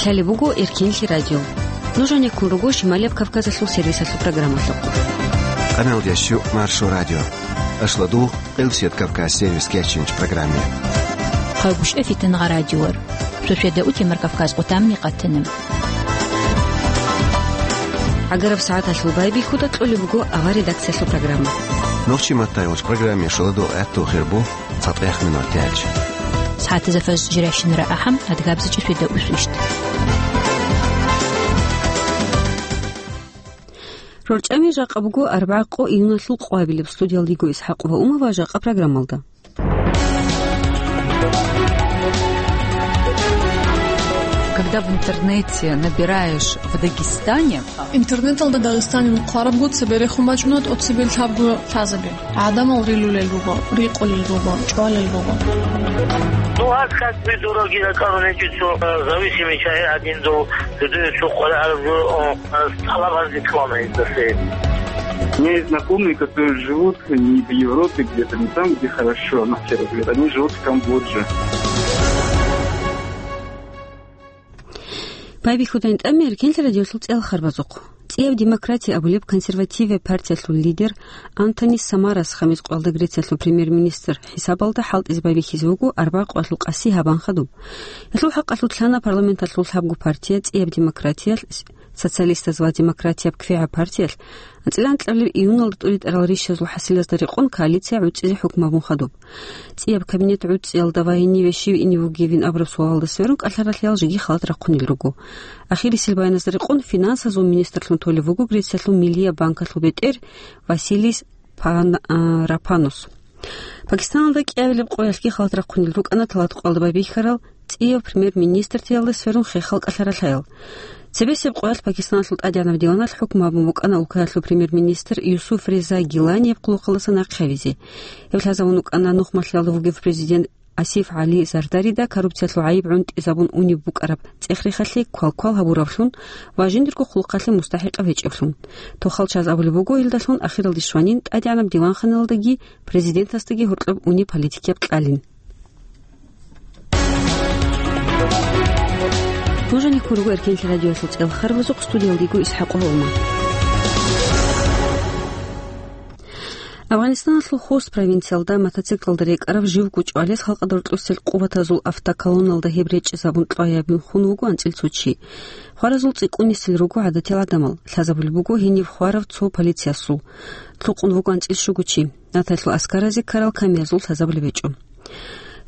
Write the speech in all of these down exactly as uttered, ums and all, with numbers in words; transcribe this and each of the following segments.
Лъалеб буго Эркенлъи радио. Нуж гьанеккун руго Шималияб Кавказалъул сервисалъул программалъухъ. Къаналдящу Маршо радио. Ашладу Къилсият Кавказ сервис кечинч программе. Хъагушев Фитнагъа радиор. Суседа утемар Кавказ къутамни къатана. ГӀагараб сагӀаталъул байбихьуда кьолеб буго авар редакциялъул программа. Нохчи маттайгъуч программе шуладу гӀатту хирбу цатӀех минут тяч. СагӀатазда фаз жиращинара ахӀам, адгабзачӀи суседа усвищт. РорчӀами жакъа буго арбагӀа къо июналъул къвабилеб. Студиялдиго ИсхӀакъ ва Умава жакъа программалда. Когда в интернете набираешь «в Дагестане», Интернеталда Дагъистанин хъварабго цебе рехун бачӀуна тӀоцебе лъабго лъазаби. ГӀадамал рилулел руго, рикъулел руго, чӀвалел руго. Ну, а как вы, дураки, накару нечицу, э, зависимый человек один до, до, до, цо хъвараб, э, э, талаб гьаздеклана издасей. У меня есть знакомые, которые живут не в Европе где-то, не там, где хорошо, на первый взгляд. Они живут в Камбодже. Байбихьудайн тӀамир, Эркенлъи радиолъул цӀел харбазухъ. ЦӀияб демократия абулеб консервативияб партиялъул лидер Антонис Самарас хамис къоялда Грециялъул премьер-министр хӀисабалда хӀалтӀизе байбихьизе вуго арбагъ къоялъул къаси гьабан хадуб. Гьелъул хӀакъалъулъ лъана парламенталъул лъабго партия ЦӀияб демократиялъ, социалистаз ва демократияб квегӀаб партиялъ анцӀила анкьабилеб июналда тӀуритӀарал рищазул хӀасилазда рекъон коалиция гӀуцӀизе хӀукму гьабун хадуб. ЦӀияб кабинет гӀуцӀиялда ва гьениве щив ине вугевин абураб суалалда сверун кӀалъаралъиял жеги халат рахъунел руго. Ахирисел баяназда рекъон финансазул министрлъун толев вуго Грециялъул Миллияб банкалъул бетӀер Василис Пан-, а, Рапанус. Пакистаналда кӀиабилеб къоялъги халат рахъунел рукӀана талат къоялда байбихьарал ЦӀияб премьер-министртиялда сверун хехал кӀалъаралъаял. Цебесеб къоялъ Пакистаналъул тӀадегӀанаб диваналъ хӀукму гьабун букӀана улкаялъул премьер-министр Юсуф Реза Гиланияб хъулухъалдаса нахъе гьавизе. Гьеб лъазабун вукӀана нухмалъиялда вугев президент Асиф ГӀали Зардарида коррупциялъул гӀайиб гӀунтӀизабун унеб букӀараб цӀех-рехалъе квал-квал гьабуравлъун ва жиндирго хъулухъалъе мустахӀикъав гьечӀевлъун. Тохал чаз абулеб буго, илдалъун ахиралде щванин тӀадегӀанаб диванханалдаги президентасдаги гьоркьоб унеб политикияб кьалин. Нуж гьанеккун руго Эркенлъи радиоялъул цӀел харбазухъ, студиялдиго ИсхӀакъ Гьолма. Афганистаналъул Хост провинциялда мотоциклалда рекӀарав живго чӀвалес халкъалда рокьусел къуватазул автоколонналда гьеб речӀчӀизабун кьваябин хун вуго анцӀил цо чи. Хваразул цӀикӀкӀунисел руго гӀадатиял гӀадамал, лъазабулеб буго гьениб хварав цо полициясул. Лъукъун вуго анцӀил щуго чи. Натаялъул аскаразе ккарал камиязул лъазабулеб гьечӀо.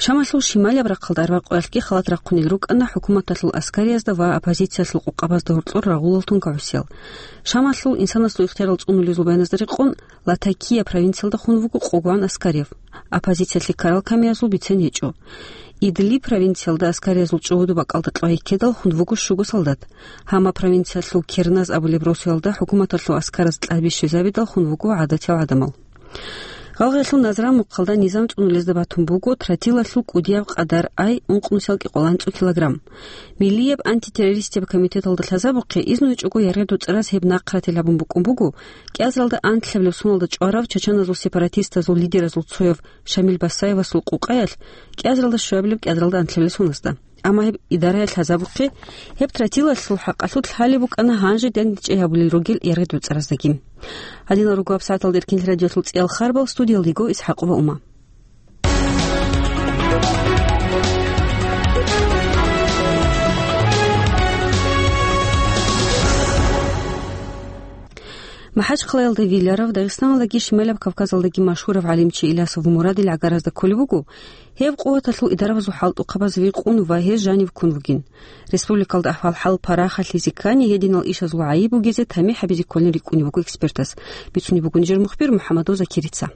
Шамалъул шималияб рахъалда арбакъоялъги халат рахъунел рукӀана хӀукуматалъул аскариязда ва оппозициялъул къукъабазда гьоркьор рагъулал тункагӀусиял. Шамалъул инсанасул ихтиярал цӀунулезул баяназда рекъон, Латакия провинциялда хун вуго къогогӀан аскарив. Оппозициялъе ккарал камиязул бицен гьечӀо. Идлиб провинциялда аскариязул чӀугӀуду бакӀалда кьвайиккедал хун вуго щуго солдат. Гьама провинциялъул Керназ абулеб росуялда хӀукуматалъул аскараз кьаби щвезабидал хун вуго гӀадатиял гӀадамал. Гъалгъиялъул Назран мухъалда низам цӀунулезда батун буго тротилалъул кӀудияб къадар ай ункънусиялги къоланцӀу килограмм. Миллияб антитеррористияб комитеталда лъазабухъе изну гьечӀого яргъи доцӀараз гьеб нахъратил гьабун букӀун буго, кӀиазаралда анлъабилеб соналда чӀварав чачаназул сепаратистазул лидеразул цояв Шамил Басаевасул къукъаялъ кӀиазаралда щуабилеб кӀиазаралда анлъабилеб соназда. Амма гьеб идараялъ лъазабухъе, гьеб тротилалъул хӀакъалъулъ лъалеб букӀана гьанже дандечӀей гьабулел ругел яргъи доцӀараздагин. Гьадинал руго гьабсагӀаталда Эркенлъи радиоялъул цӀиял харбал, студиялдего ИсхӀакъова Ума. МахӀачхъалаялда виларав, Дагъистаналдаги Шималаб Кавказалдаги машгьурав гӀалимчи Илясов Мурадил гӀагаразда кколеб буго, гьев къуваталъул идарабазул хӀалтӀухъабаз рикъун ва гьез жанив ккун вугин. Республикалда ахӀвал-хӀал парахалъизе ккани, гьединал ишазул гӀайиб бугезе тамихӀ гьабизе кколин рикӀкӀунеб буго экспертас. Бицунеб буго нижер мухбир МухӀаммадов Закирица.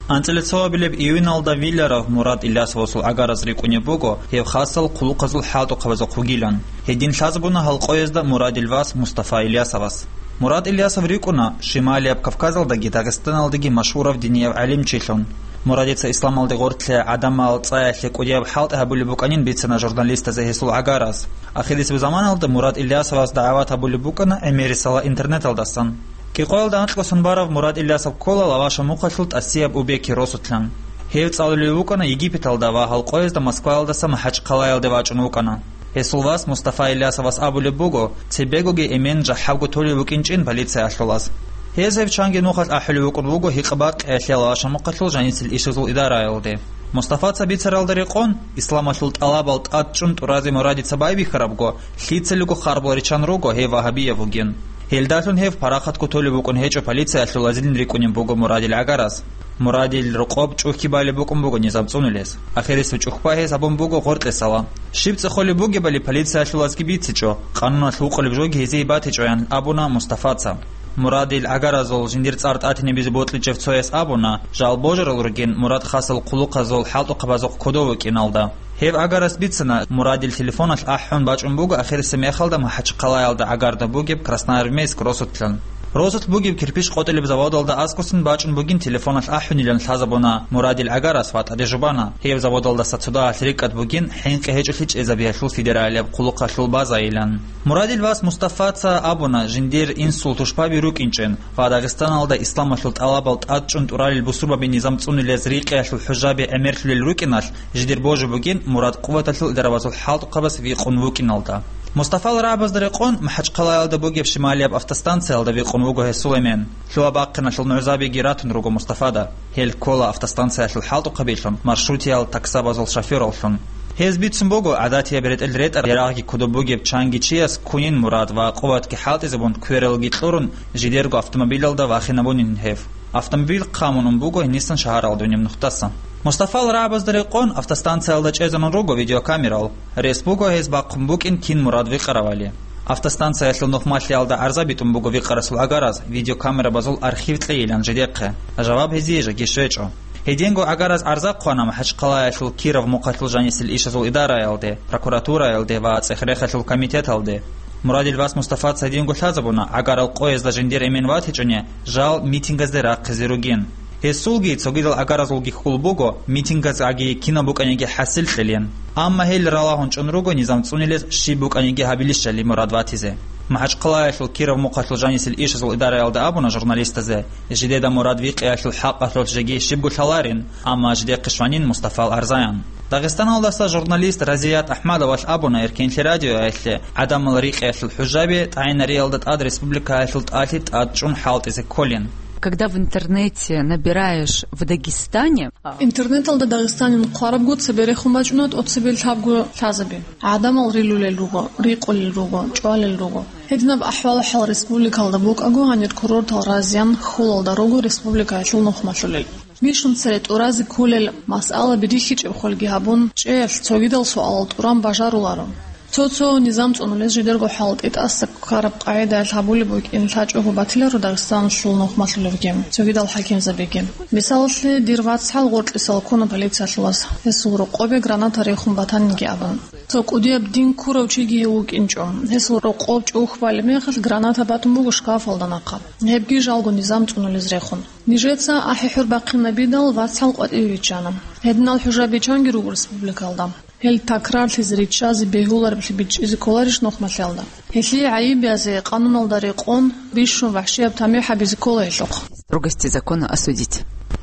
АнцӀила цоабилеб июналда виларав Мурад Илясовасул гӀагараз рикӀкӀунеб буго гьев хасал хъулухъазул хӀалтӀухъабазухъ вугилан. Гьедин лъазабуна гьал къоязда Мурадил вас Мустафа Илясовас. Мурад Илясов рикӀкӀуна Шималияб Кавказалдаги Дагъистаналдаги машгьурав динияв гӀалимчилъун. Мурадица исламалде гъорлъ гӀадамал цӀаялъе кӀудияб хӀалтӀи гьабулеб букӀанин бицана журналистазе гьесул гӀагараз. Ахирисеб заманалда Мурад Илясовас дагӀват гьабулеб букӀана гӀемерисела интернеталдасан. КӀикъоялда анкьго сон барав Мурад Илясов ккола Лаваша мухъалъул ТӀасияб Убеки росулъан. Гьев цӀалулев вукӀана Египеталда ва гьал къоязда Москваялдаса МахӀачхъалаялде вачӀун вукӀана. Гьесул вас Мустафа Илясовас абулеб буго, цебегоги эмен жахӀабго толев вукӀинчӀин полициялъулаз. Гьез гьев чанги нухалъ ахӀулев вукӀун вуго гьикъа-бакъиялъ яла вашамухъалъул жанисел ишазул идараялде. Мустафаца бицаралда рекъон, исламалъул тӀалабал тӀад чӀун тӀуразе Мурадица байбихьарабго, лъицалиго харбал риччан руго гьев вагьабияв вугин. Гьелдалъун гьев парахатго толев вукӀун гьечӀо полициялъулазилин рикӀкӀунеб буго Мурадил гӀагарас. Мурадил рокъоб чӀухьги балеб букӀун буго низам цӀунулес. Ахирисеб чӀухьба гьес гьабун буго гъоркьесала. Щиб цӀехолеб бугебали полициялъулазги бицичӀо, къануналъ вукъулеб жоги гьезие батичӀоян абуна Мустафаца. Мурадил гӀагаразул жиндир цӀар тӀатинабизе бокьичӀев цояс абуна, жал божарал ругин Мурад хасал хъулухъазул хӀалтӀухъабазухъ кодов вукӀиналда. Гьев гӀагарас бицана, Мурадил телефоналъ ахӀун бачӀун буго ахирисеб мехалда МахӀачхъалаялда гӀагарда бугеб Красноармейск росулъан. Росулъ бугеб кирпич къотӀилеб заводалда аскӀосан бачӀун бугин телефоналъ ахӀунилан лъазабуна Мурадил гӀагарас ва тӀаде жубана, гьеб заводалдаса цо дагьалъ рикӀкӀад бугин хӀинкъи гьечӀолъи чӀезабиялъул федералияб хъулухъалъул базайилан. Мурадил вас Мустафаца абуна, жиндир инсул тушбаби рукӀинчӀин ва Дагъистаналда исламалъул тӀалабал тӀад чӀун тӀуралел бусурбаби низам цӀунулез рикъиялъул хӀужаби гӀемерлъулел рукӀиналъ, жидер божи бугин Мурад къуваталъул идарабазул хӀалтӀухъабаз викъун вукӀиналда. Мустафал рагӀабазда рекъон, МахӀачхъалаялда бугеб шималияб автостанциялда викъун вуго гьесул эмен. Лъугьа-бахъиналъул нугӀзабиги ратун руго Мустафада. Гьел ккола автостанциялъул хӀалтӀухъабилъун, маршрутиял таксабазул шофёраллъун. Гьез бицун буго гӀадатияб ретӀел ретӀараб ярагъги кодоб бугеб чанги чияс ккунин Мурад ва къуватги хӀалтӀизабун, квералги кьурун, жидерго автомобилалда вахинабунин гьев. Автомобиль хъамун ун буго гьенисан шагьаралда унеб нухдасан. Мустафал рагӀабазда рекъон автостанциялда чӀезарун руго видеокамерал. Рес буго гьез бахъун букӀин кин Мурад викъаравали. Автостанциялъул нухмалъиялда гӀарза битӀун буго викъарасул гӀагараз видеокамерабазул архив кьейилан жидехъе. Жаваб гьезие жеги щвечӀо. Гьединго гӀагараз гӀарза хъвана МахӀачхъалаялъул Киров мухъалъул жанисел ишазул идараялде, прокуратураялде ва цӀех-рехалъул комитеталде. Мурадил вас Мустафаца гьединго лъазабуна, гӀагарал къоязда жиндир эмен ватичӀони, жал митингазде рахъизе ругин. Гьесулги цогидал гӀагаразулги хьул буго, митингаздаги кинаб букӀаниги хӀасил кьелин. Амма гьел ралагьун чӀун руго низам цӀунилез щиб букӀаниги гьабилищали Мурад ватизе. МахӀачхъалаялъул Киров мухъалъул жанисел ишазул идараялда абуна журналистазе, жидеда Мурад викъиялъул хӀакъалъулъ жеги щибго лъаларин, амма жидехъе щванин Мустафал гӀарзаян. Дагъистаналдаса журналист Разият АхӀмадовалъ абуна Эркенлъи радиоялъе, гӀадамал рикъиялъул хӀужаби тӀагӀинариялда тӀад республикаялъул тӀалъи тӀад чӀун хӀалтӀизе кколин. Когда в интернете набираешь «в Дагестане», а, Интернеталда Дагъистанин хъварабго цебе рехун бачӀуна тӀоцебе лъабго лъазаби. ГӀадамал рилулел руго, рикъулел руго, чӀвалел руго. Гьединаб ахӀвал-хӀал республикалда букӀаго, гьанир курортал разиян хьулалда руго республикаялъул нухмалъулел. Бищун цере тӀуразе кколел масъалаби рихьичӀеб хвелги гьабун, чӀеялъ цогидал суалал тӀуран бажаруларо. Цо-цо низам цӀунулез жидерго хӀалтӀи тӀаса ккараб къагӀидаялъ гьабулеб букӀин лъачӀого батиларо Дагъистаналъул нухмалъулевги, цогидал хӀакимзабиги. Мисалалъе, дир вацгӀал гъоркьисал ккуна полициялъулас, гьесул рокъобе граната рехун батаниги абун. Цо кӀудияб дин ккурав чиги гьев вукӀинчӀо. Гьесул рокъоб чӀухь балеб мехалъ, граната батун буго шкафалда нахъа. Гьебги жалго низам цӀунулез рехун. Нижеца ахӀи-хӀур бахъинабидал, вацгӀал къватӀиве виччана. Гьединал хӀужаби чанги руго республикалда. Гьел такрарлъизе риччазе бегьулареблъи бичӀчӀизе кколарищ нухмалъиялда? Гьелъие гӀайиб язе, къануналда рекъон, бищун вахӀшияб тамихӀ гьабизе ккола гьелъухъ. Строгости закона осудить.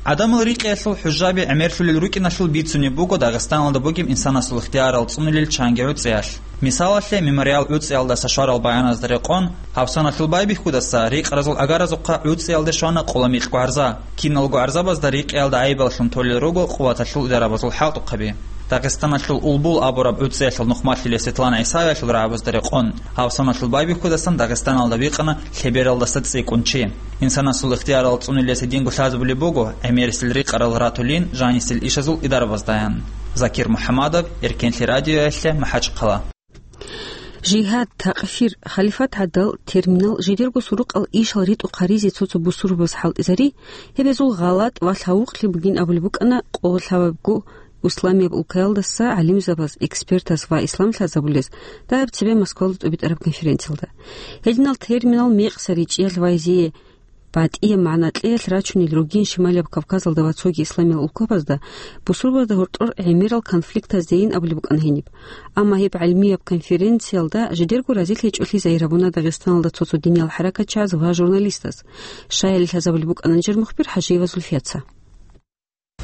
ГӀадамал рикъиялъул хӀужаби гӀемерлъулел рукӀиналъул бицунеб буго Дагъистаналда бугеб инсанасул ихтиярал цӀунулел чанги гӀуцӀиялъ. Мисалалъе, Мемориал гӀуцӀиялдаса щварал баяназда рекъон, гьаб соналъул байбихьудаса рикъаразул гӀагаразухъа гӀуцӀиялде щвана къола микьго гӀарза. Киналго гӀарзабазда рикъиялда гӀайибаллъун толел руго къуваталъул идарабазул хӀалтӀухъаби. Дагъистаналъул Улбул абураб гӀуцӀиялъул нухмалъулев Светлана ГӀисаевалъул рагӀабазда рекъон, гьаб соналъул байбихьудасан Дагъистаналда бикъана лъебералдаса цӀикӀкӀун чи. Инсанасул ихтиярал цӀунулес гьединго лъазабулеб буго, гӀемерисел рикъарал ратулин жанисел ишазул идарабаздаян. Закир МухӀамадов, Эркенлъи радиоялъе, МахӀачхъала. Жигьад, такъфир, халифат гӀадал терминал жидерго сурукъал ишал ритӀухъ гьаризе цо-цо бусурбабаз хӀалтӀизари, гьеб гьезул гъалатӀ ва лъавукълъи бугин абулеб букӀана къо лъабабго исламияб улкаялдаса гӀалимзабаз, экспертаз ва ислам лъазабулез дагьаб цебе Москвалда тӀубитӀараб конференциялда. Гьединал терминал мекъса ричӀчӀиялъ ва гьезие батӀияб магӀна кьеялъ рачунел ругин Шималияб Кавказалда ва цоги исламиял улкабазда, бусурбабазда гьоркьор гӀемерал конфликтаздейин абулеб букӀана гьениб. Амма гьеб гӀилмияб конференциялда жидерго разилъичӀолъи загьир гьабуна Дагъистаналда цо-цо диниял хӀаракатчияз ва журналистаз. Щаяли лъазабулеб букӀана нижер мухбир ХӀажиева Зульфияца.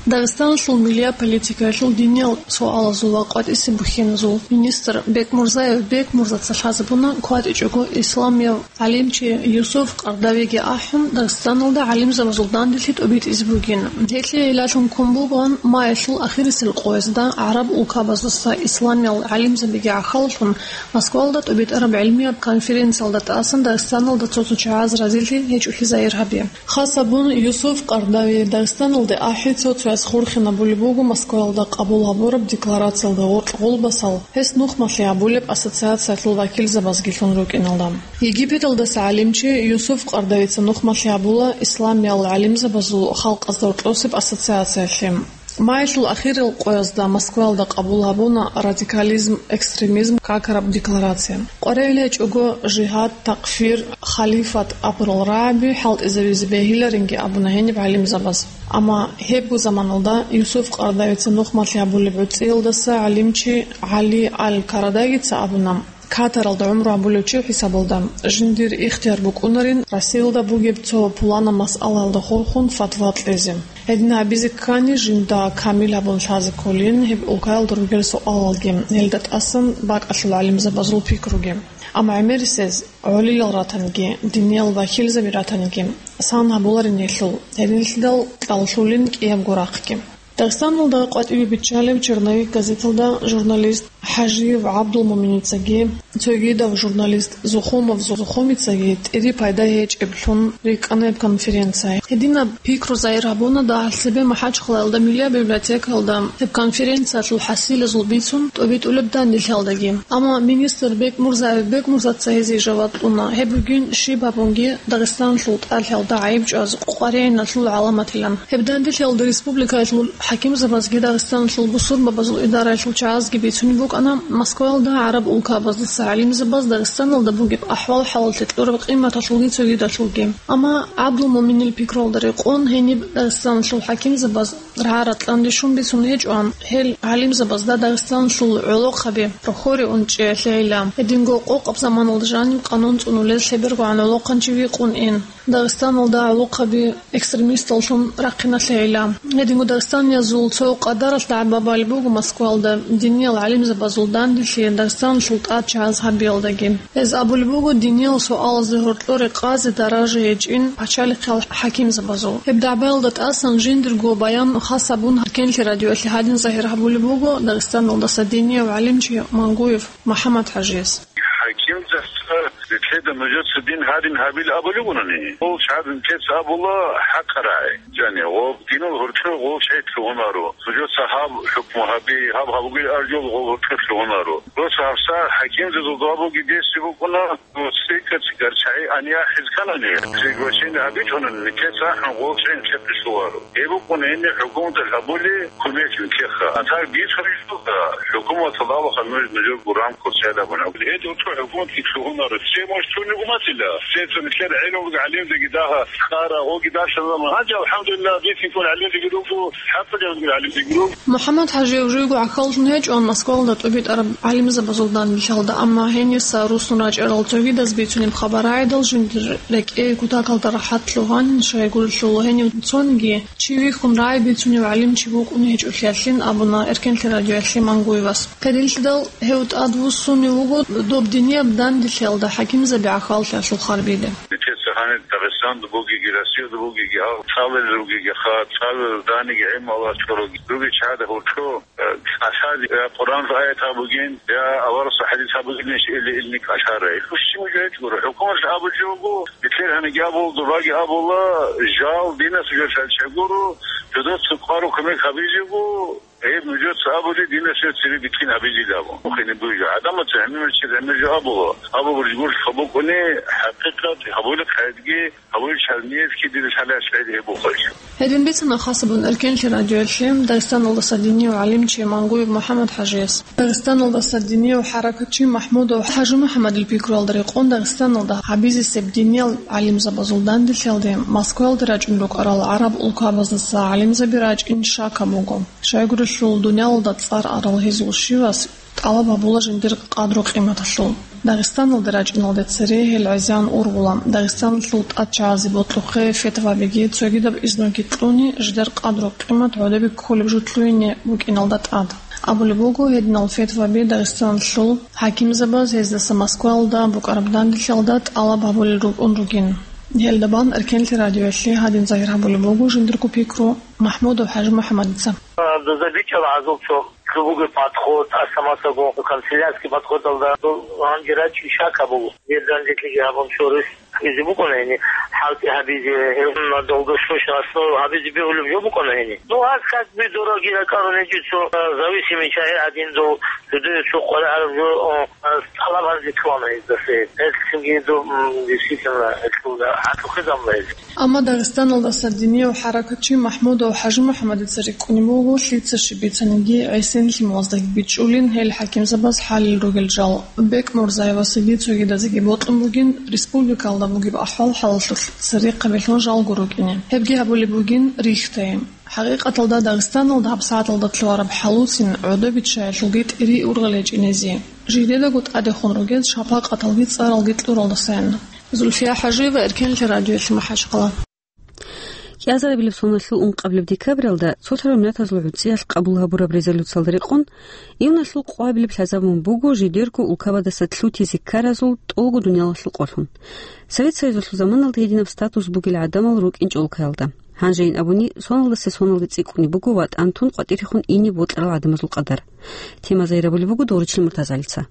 Дагъистаналъул миллият политикаялъул диниял суалазул ва къватӀиса бухьиназул министр Бекмурзаев Бекмурзаца лъазабуна кватӀичӀого исламияв гӀалимчи Юсуф Къардавиги ахӀун, Дагъистаналда гӀалимзабазул данделъи тӀобитӀизе бугин. Гьелъие гӀиллалъун ккун бугоан маялъул ахирисел къоязда гӀараб улкабаздаса исламиял гӀалимзабиги гӀахьаллъун Москвалда тӀобитӀараб гӀилмияб конференциялда тӀасан Дагъистаналда цо-цо чагӀаз разилъи гьечӀолъи загьир гьаби. Хас абун, Юсуф Къардави Дагъистаналде ахӀи цо-цояс хурхинабулеб буго Москваялда къабул гьабураб декларациялда гъоркь гъулбасал, гьес нухмалъи гьабулеб ассоциациялъул вакилзабазги лъун рукӀиналда. Египеталдаса гӀалимчи Юсуф Къардавица нухмалъи гьабула исламиял гӀалимзабазул халкъазда гьоркьосеб ассоциациялъе. Маялъул ахирал къоязда Москваялда къабул гьабуна радикализм, экстремизм какараб декларация. КъваригӀел гьечӀого жигьад, такфир, халифат абурал рагӀаби хӀалтӀизабизе бегьиларинги абуна гьениб гӀалимзабаз. Амма гьебго заманалда Юсуф Къардавица нухмалъи гьабулеб гӀуцӀиялдаса гӀалимчи ГӀали Аль-Карадагица абуна, Катаралда гӀумру гьабулев чи хӀисабалда, жиндир ихтияр букӀунарин Россиялда бугеб цо пуланаб масъалаялда хурхун фатва кьезе. Гьедин гьабизе ккани, жинда камил гьабун лъазе кколин гьеб улкаялда ругел суалалги, гьелда тӀасан бакӀалъул гӀалимзабазул пикруги. Амма гӀемерисез гӀолилал ратаниги, диниял вакилзаби ратаниги, сан гьабуларин гьелъул, гьединлъидал кьаллъулин кӀиябго рахъги. Дагъистаналда къватӀибе биччалеб «Черновик» газеталда журналист ХӀажиев ГӀабдулмуминицаги, цогидав журналист Зухумов Зухумицаги тӀири пайда гьечӀеблъун рикӀкӀана гьеб конференция. Гьединаб пикру загьир гьабуна дагьал цебе МахӀачхъалаялда Миллият библиотекаялда гьеб конференциялъул хӀасилазул бицун тӀобитӀулеб данделъиялдаги. Амма министр Бекмурзаев Бекмурзаца гьезие жаваб кьуна, гьеб бугин щиб гьабунги Дагъистаналъул тӀадлъиялда гӀайиб чӀваз къваригӀиналъул гӀаламатилан. Гьеб данделъиялда республикаялъул хӀакимзабазги Дагъистаналъул бусурбабазул идараялъул чагӀазги бицунеб букӀана Москваялда гӀараб улкабаздаса гӀалимзабаз Дагъистаналда бугеб ахӀвал-хӀалалъе кьураб къиматалъулги цогидалъулги. Амма ГӀабдулмуминил пикруялда рекъон гьениб Дагъистаналъул хӀакимзабаз рагӀа-ратӀлъан рищун бицун гьечӀоан, гьел гӀалимзабазда Дагъистаналъул гӀолохъаби, прохори унчӀеялъегӀилан, гьединго къокъаб заманалда жаниб къанун цӀунулез лъебергогӀан гӀолохъанчи викъун ин. Дагъистаналда гӀолохъаби экстремисталлъун рахъиналъегӀилан, гьединго дагъистаниязул цо къадаралъ дагӀба балеб буго Москвалда диниял гӀалимзабазул данделъи Дагъистаналъул тӀад чагӀаз гьабиялдаги. Гьез абулеб буго, диниял суалазда гьоркьоре къазе даража гьечӀин пачалихъал хӀакимзабазул. Гьеб дагӀбаялда тӀасан жиндирго баян хас абун Эркенлъи радиоялъе гьадин загьир гьабулеб буго Дагъистаналдаса динияв гӀалимчи Мангуев МухӀаммад-ХӀажияс. ХӀакимзабазда нилъеда нужеца дин гьадин гьабила абулеб бугони, гъов чагӀаз нилъеца абула хӀакъаб рагӀи. Жани, гъов динал гьоркьор гъов чагӀи лъугьунаро. Нужеца гьаб хӀукму гьаби, гьаб гьабугел аржул гъов гьоркьор лъугьунаро. Просто гьабсагӀат хӀакимзабазул дугьабуги десси букӀуна, цӀикӀкӀар чагӀи ан яхӀиз кканани, приглашение гьабичӀони, нилъеца ахӀун гъов чагӀи нилъехъе лъугьаро. Гьеб букӀун гьениб хӀукуматалъ гьабули кумек нилъехъа. А так бицунищ буго, хӀукуматалда абуха нуж нужерго рамкаялда абун. Гьединго хӀукуматги лъугьунаро. Се мощь цунигу матила? Се цун нилъер гӀелумги гӀалимзабиги дагьа ккара, гъоги даршан заман. Гьанже, алхӀамдулиллагь, бицинккун гӀалимзабиги руго, хӀакъаб гӀалимзабиги руго. МухӀаммад-ХӀажияв живго гӀахьаллъун гьечӀо Москвалда тӀубитӀараб гӀалимзабазул данделъиялда, амма гьениса руссун рачӀарал цогидаз бицунеб хабар рагӀидал жиндир рекӀее кутакалда рахӀатлъун гьанин, щайгурелъул гьенив цониги чи вихьун рагӀи бицунев гӀалимчи вукӀун гьечӀолъиялъин абуна Эркенлъи радиоялъе Мангуевас. Гьединлъидал гьев тӀадвуссунев вуго доб динияб данделъиялда хӀакимзаби гӀахьаллъиялъул харбиде. Нилъеца гьанир Дагъистанда бугеги, Россиялда бугеги, гьал цӀалулел ругеги, ха, цӀалулел даниги гӀилму Аллагьас чӀваруги, ругел чагӀазда гьоркьо, э, кӀалъазе, я Къуръаналъул аят гьабугин, я аварагасул хӀадис гьабугин иш или илни кӀалъара. Ил хущи мужа гьечӀ гуро. ХӀукуматалъ абулеб жо буго, нилъер гьаниги абула, дубаги абула, жал динас жо шалчагуро, жодоца къвару кумек гьабизего, Гьеб нужеца абули, динас цере бикин гьабизилан абун. Ухине буйжа. ГӀадамаца гӀемер чи гӀемер жо абула. Абу буржгур хабукъуни, хӀакъикъат, гьабули хъайдги, гьабули чарниецки дир шалаш гӀед гьеб ухайчу. Гьедин бицана хасабун Эркенлъи радиоялъе Дагъистаналдаса динияв гӀалимчи Мангуев МухӀаммад-ХӀажияс. Дагъистаналдаса динияв хӀаракатчи МахӀмудов ХӀажимухӀаммадил пикруялда рекъон Дагъистаналда гьабизесеб диниял гӀалимзабазул данделъиялде Москваялде рачӀун рукӀарал гӀараб улкабаздаса гӀалимзаби рачӀин шака буго. Щайгурелъул дуниялалда цӀар арал гьезул щивас тӀалаб гьабула жиндир къадру-къиматалъул. Дагъистаналда рачӀиналде цере гьел гӀезегӀан ургъула. Дагъистаналъул тӀадчагӀазе бокьухъе фетвабиги цогидаб изноги кьуни, жидер къадру-къимат гӀодобе кколеб жо лъугьине букӀиналда тӀад. Абулеб буго, гьединал фетваби Дагъистаналъул хӀакимзабаз гьездаса Москваялда букӀараб данделъиялда тӀалаб гьабулел рукӀун ругин. Гьелда бан Эркенлъи радиоялъе гьадин загьир гьабулеб буго жиндирго пикру МахӀмудов ХӀажимухӀаммадица. Доза бичӀчӀала гьазул цо лъугьуги подход, асамасаго канцелярский подходалда дол гьанже рачӀи шака буго. Гьеб данделъиги гьабун чорис гьабизе букӀана гьени, хӀалтӀи гьабизе, гьеб долгосрочно основа гьабизе бегьулеб жо букӀана гьени. Ну, аз как бы дороги ракӀарун гьечӀо цо, а, зависимый чагӀи гӀадин дов жидее цо къваригӀараб жо, а, тӀалаб гьаризе ккола гьезда. Гьелъги дов, м, действительно, гьелъул гьатӀухъе замла гьез. Амма Дагъистаналдаса динияв хӀаракатчи МахӀмудов ХӀажимухӀаммадица рикӀкӀунеб буго, лъица щиб бицаниги гӀисин лъималаздаги бичӀчӀулин гьел хӀакимзабаз хӀалел ругел жал. БекӀ Мурзаевасаги цогидазеги бокьун бугин республикалда бугеб ахӀвал-хӀалалъулъ церехъабилъун жалго рукӀине. Гьебги гьабулеб бугин рихьдайин. ХӀакъикъаталда, Дагъистаналда гьабсагӀаталда лъугьараб хӀалуцин гӀодобиччаялъулги тӀири-ургъел гьечӀинезе, жидедаго тӀадехун ругез шапакъаталги цӀаралги кьуралдасайин. Зульфия ХӀажиева, Эркенлъи радиоялъе, МахӀачхъала. КӀиазарабилеб соналъул ункъабилеб декабралда цолъараб Миллатазул ГӀуцӀиялъ къабул гьабураб резолюциялда рекъон, июналъул къоабилеб лъазабун буго жидерго улкабадаса лъутизе ккаразул тӀолго дуниялалъул къолъун. Совет Союзалъул заманалда гьединаб статус бугел гӀадамал рукӀинчӀо улкаялда. Гьанжейин абуни, соналдаса соналде цӀикӀкӀунеб буго ватӀан тун къватӀирехун ине бокьарал гӀадамазул къадар. Тема загьир гьабулеб буго Доричил МуртазагӀалица.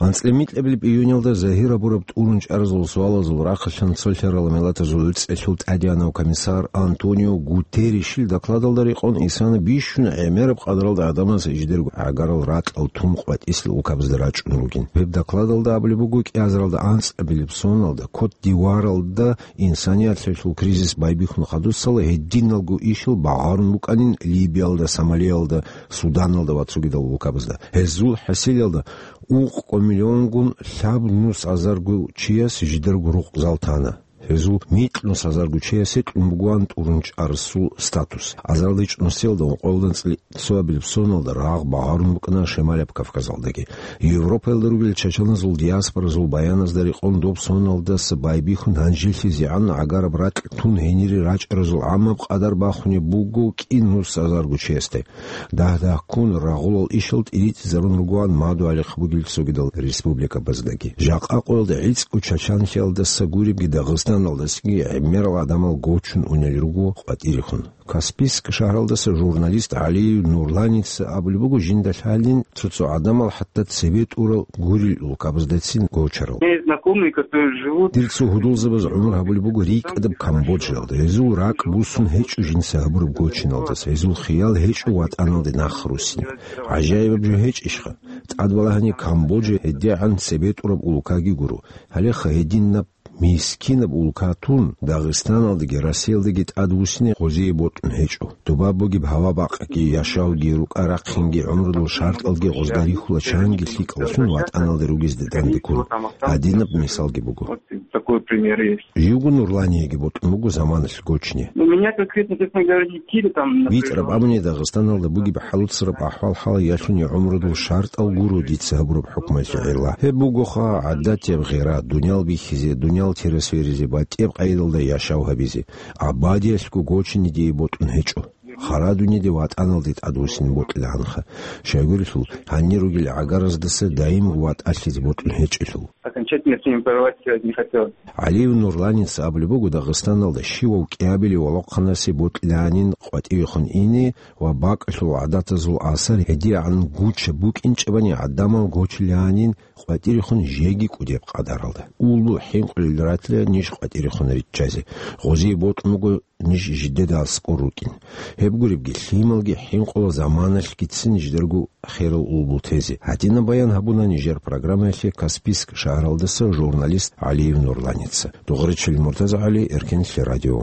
АнцӀила микьабилеб июнялда загьир гьабураб тӀурун чӀаразул суалазул рахъалъан цолъарал Миллатазул ГӀуцӀиялъул ТӀадегӀанав комиссар Антонио Гутерришил докладалда рекъон исана бищун гӀемераб къадралда гӀадамаз жидерго гӀагарал ракьал тун къватӀисел улкабазда рачӀун ругин. Гьеб докладалда абулеб буго, кӀиазаралда анцӀабилеб соналда Кот-д'Ивуаралда инсанияталъул кризис байбихьун хадусала гьединалго ишал багъарун букӀанин Либиялда, Сомалиялда, Суданалда ва цогидал улкабазда. Гьезул хӀасилалда ункъго миллионгун лъабнус азарго чияс жидерго рукъзал тана. Гьезул микьнус азарго чиясе кьун бугоан тӀурун чӀарасул статус. Азарилда чӀунусиялда ункъоялда анцӀила цоабилеб соналда рагъ багъарун букӀана Шималаб Кавказалдаги. Европаялда ругел чачаназул диаспоразул баяназда рекъон доб соналдаса байбихьун гьанжелъизегӀан гӀагараб ракь тун гьенире рачӀаразул гӀаммаб къадар бахунеб буго кӀинус азарго чиясде. Дагь-дагьккун рагъулал ишал тӀиритӀизарун ругоан мадугьалихъ бугел цогидал республикабаздаги. Жакъа къоялда гӀицӀго чачанлъиялдаса гуребги Дагъистаналдасаги гӀемерал гӀадамал гочун унел руго къватӀирехун. Каспийск шагьаралдаса журналист ГӀалиев Нурланица абулеб буго, жинда лъалин цо-цо гӀадамал хӀатта цебетӀурал гурел улкабаздацин гочарал. Мои знакомые, которые живут Дир цо гьудулзабаз гӀумру гьабулеб буго рикӀкӀадаб Камбоджаялда. Гьезул ракӀ буссун гьечӀо жинца гьабураб гочиналдаса. Гьезул хиял гьечӀо ватӀаналде нахъ руссин. ГӀажаибаб жо гьечӀищха? ТӀадбалагьани Камбоджа гьедигӀан цебетӀураб улкаги гуро. Гьалеха гьединаб мискинаб улка тун, Дагъистаналдаги Россиялдаги тӀадвуссине гъозие бокьун гьечӀо. ТӀубаб бугеб гьава-бакъги, яшавги, рукӀа-рахъинги, гӀумрудул шартӀалги гъозда рихьула чанги лъикӀаллъун ватӀаналде ругезде дандеккун. Гьадинаб мисалги буго. Вот такой пример есть. Живго Нурланиеги бокьун буго заманалъ гочине. Ну, меня конкретно, честно говоря, не кидает там, напряжённость. БитӀараб абуни, Дагъистаналда бугеб хӀалуцараб ахӀвал-хӀал ялъуни гӀумрудул шартӀал гуро дица гьабураб хӀукмуялъе гӀелла. Гьеб бугоха гӀадатияб гъира, дуниял бихьизе, дуниял тересверизе, батӀияб къайдалда яшав гьабизе. Абадиялъго гочине дие бокьун гьечӀо. Хара дуниде ватӀаналде тӀадвуссине бокьилаанха. Щайгурелъул, гьанир ругел гӀагараздаса даимго ватӀалъизе бокьун гьечӀелъул. Окончательно с ними порвать, э, не хотелось. ГӀалиев Нурланица абулеб буго, Дагъистаналда щивав кӀиабилев валахъанасе бокьилаанин къватӀивехун ине ва бакӀалъул гӀадатазул асар гьедигӀан гучаб букӀинчӀебани гӀадамал гочилаанин къватӀирехун жеги кӀудеб къадаралда. Улбул хӀинкъулел ратила ниж къватӀирехун риччазе. Гъозие бокьун буго ниж жидеда аскӀор рукӀин. Гьеб гуребги, лъималги хӀинкъула заманалъгицин жидерго херал улбул тезе. Гьадинаб баян гьабуна нижер программаялъе Каспийск шагьаралдаса журналист ГӀалиев Нурланица. ДугъричӀел МуртазагӀали, Эркенлъи радио.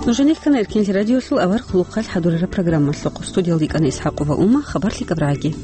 Нужеца ккана Эркенлъи радиолъул авар хъулухъалъ хӀадурараб программалъухъ. Студиялда йикӀана ИсхӀакъова Ума, хабарлъи кабрагӀаги.